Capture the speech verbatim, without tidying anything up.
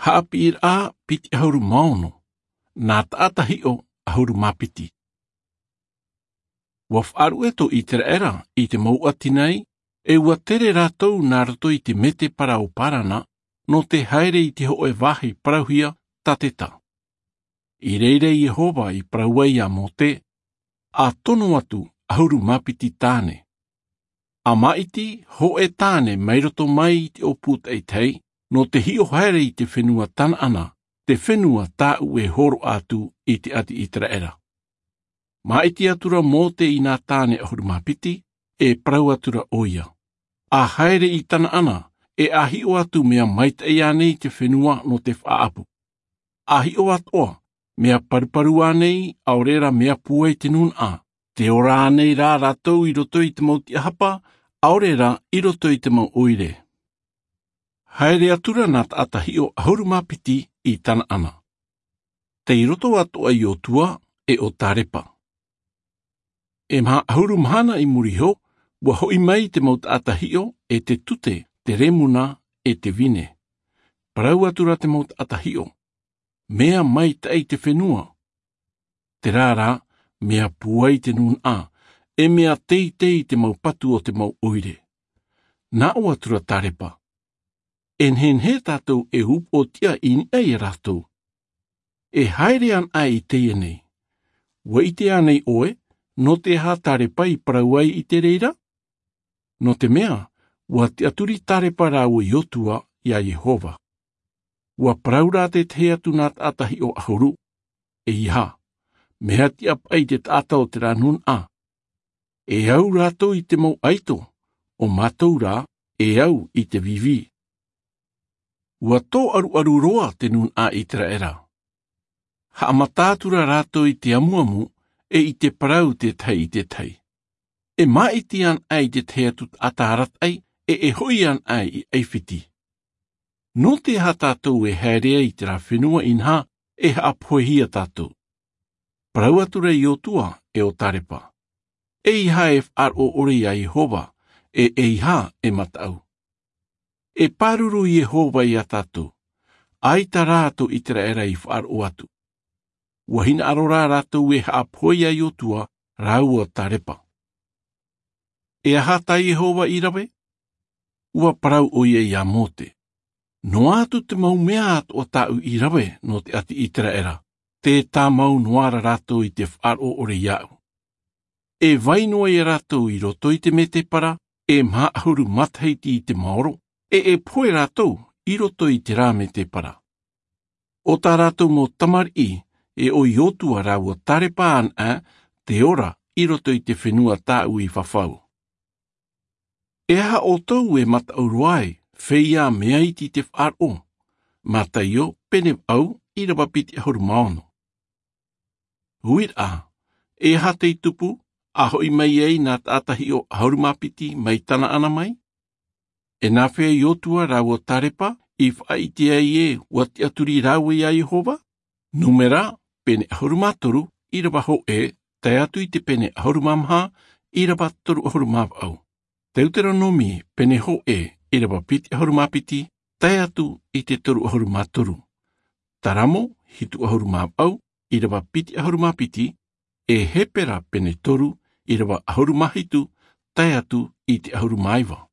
Haʻapiʻiraʻa piti ʻahuru mā ono. Nā taʻata hiʻo ʻahuru mā piti. Ua faʻaruʻe tō ʻIteraʻera i te mau ʻati nei, e ua tere rātou nā roto i te mētēpara o Parana, nō te haere i te hōʻē vāhi parauhia Tateta. I reira Iehova i parau ai iā Mōte, ʻa tono atu ʻahuru mā piti tāne. ʻA māʻiti hōʻē tāne mai roto mai i te ʻōpū taʻitahi, nō te hiʻo haere i te fenua Tanaana, te fenua tāʻu e hōroʻa atu i te ʻati ʻIteraʻera. Māʻiti atura Mōte i nā tāne ʻahuru mā piti, e parau atura ʻoia, ʻa haere i Tanaana, e ʻa hiʻo atu mea maitaʻi ānei te fenua nō te faʻaʻapu. ʻA hiʻo atoʻa, mea paruparu ānei, ʻaore rā mea pūai te nūnaʻa, te ora ānei rā rātou i roto i te mau tiʻahapa, ʻaore rā i roto i te mau ʻoire. Haere atura nā taʻata hiʻo ʻahuru mā piti i Tanaana. Tei roto atoʻa Iotua e ʻo Tarepa. E maha ʻahuru mahana i muri iho, ua hoʻi mai te mau taʻata hiʻo e te tute, te remuna, e te vine. Parau atura te mau taʻata hiʻo, mea maitaʻi te fenua. Terā rā, mea pūai te nūnaʻa, e mea teitei te mau patu o te mau ʻoire. Nā ʻō atura Tarepa, e nehenehe tātou e upoʻotiʻa i niʻa iā rātou. E haere anaʻe i teie nei. Ua ʻite ānei ʻoe, nō te aha Tarepa i parau ai i te reira? Nō te mea, ua tiʻaturi Tarepa rāua Iotua iā Iehova. Ua parau rā te tahi atu nā taʻata hiʻo ʻahuru, e aha, mea tiʻa paʻi te taʻata o terā nūnaʻa. E au rātou i te mau ʻaito, ʻo mātou rā, e au i te vīvī. Ua tōʻaruʻaru roa te nūnaʻa ʻIteraʻera. Haʻamata atura rātou i te amuamu, e i te parau te tahi i te tahi. E māʻiti anaʻe i te tahi atu taʻata arataʻi, e e hoʻi anaʻe i ʻAifiti. Nō te aha tātou e haere ai i terā fenua inaha, e haʻapohehia tātou? Parau atura Iotua e ʻo Tarepa, e aha e faʻaroʻo ʻore iā Iehova, e e aha e mataʻu? E pāruru Iehova iā tātou, ʻaita rā tō ʻIteraʻera i faʻaroʻo atu. Ua hinaʻaro rā rātou e haʻapohe iā Iotua rāua Tarepa. E aha tā Iehova i rave? Ua parau ʻoia iā Mōte, noa atu te mau mea atoʻa tāʻu i rave nō te ʻati ʻIteraʻera, tē tāmau noa ra rātou i te faʻaroʻo ʻore iāʻu. E vai noa iā rātou i roto i te mētēpara, e maha ʻahuru matahiti i te maoro, e e pohe rātou i roto i terā mētēpara. ʻO tā rātou mau tamariʻi, e ʻo Iotua rāua Tarepa anaʻe, te ora i roto i te fenua tāʻu i fafau. E aha ʻoutou e mataʻu roa ai, feiā mea iti te faʻaroʻo? Mataio, pene vaʻu, ʻīrava piti ʻahuru mā ono. Uiraʻa, e aha tei tupu, ʻa hoʻi mai ai nā taʻata hiʻo ʻahuru mā piti mai Tanaana mai? E nāfea Iotua rāua Tarepa i faʻaʻite ai ē ua tiʻaturi rāua iā Iehova? Numera, pene ʻahuru mā toru, ʻīrava hōʻē, tae atu i te pene ʻahuru mā maha, ʻīrava toru ʻahuru mā vaʻu. Teuteronome, pene hōʻē, ʻīrava piti ʻahuru mā piti, tae atu i te toru ʻahuru mā toru. Taramo, hitu ʻahuru mā vaʻu, ʻīrava piti ʻahuru mā piti, e Hepera pene toru, ʻīrava ʻahuru mā hitu, tae atu i te ʻahuru mā iva.